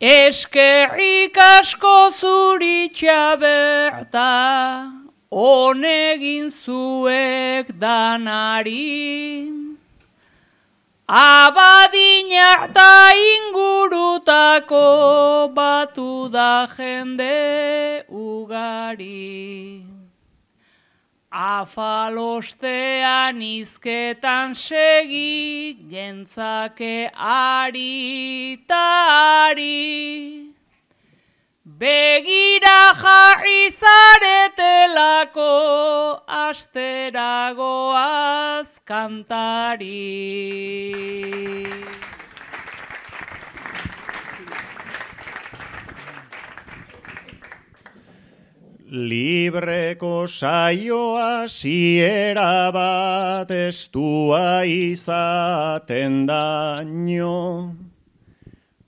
Eskerrik asko zuri txaberta, honegin zuek danari. Abadina eta ingurutako batu da jende ugari. Afalostean izketan segi, gentzake ari ta ari. Begira jarri zaretelako, asteragoaz kantari. Libreko saioa siera bat estua izaten daño.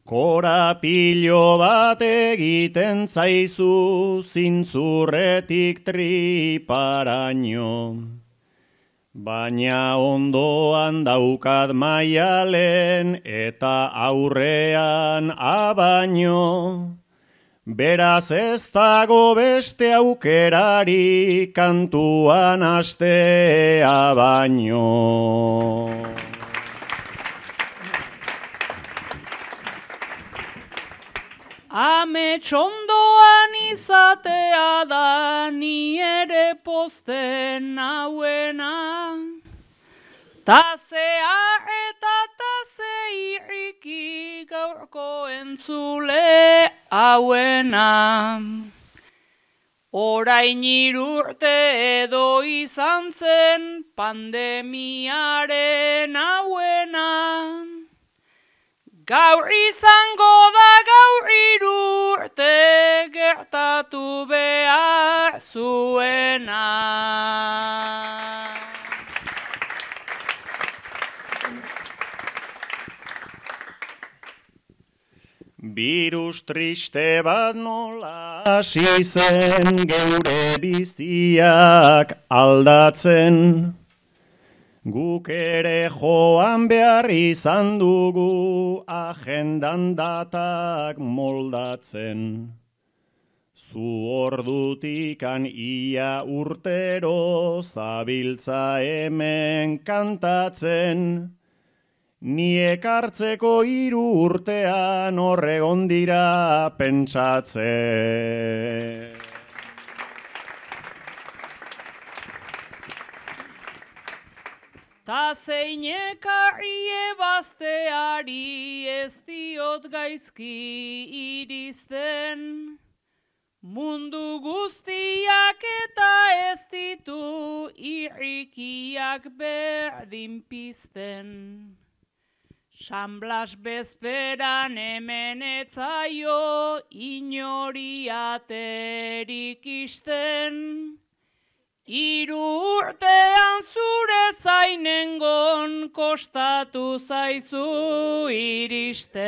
Korapilo bat egiten zaizu zintzurretik triparaino. Baina ondoan daukat maialen eta aurrean abaino. Beraz ez dago beste aukerari kantuan astea baino. Amets ondoan izatea da ni ere posten nauena. Tazea eta taze irriki gaurko entzule hauena. Orain 3 urte edo izan zen pandemiaren hauena. Gaur izango da gaur 3 urte gertatu behar zuena. Birus triste bat nola hasi zen geure biziak aldatzen. Guk ere joan behar izan dugu agendan datak moldatzen. Zu ordutikan ia urtero zabiltza hemen kantatzen. Ni ekartzeko 3 urtean horregon dira pentsatzen. Ta zein ekarri ebazteari ez diot gaizki iristen. Mundu guztiak eta ez ditu irrikiak berdin pizten. San Blas bezperan hemen etzaio inori aterik isten. 3 urtean zure zainengon kostatu zaizu iristen.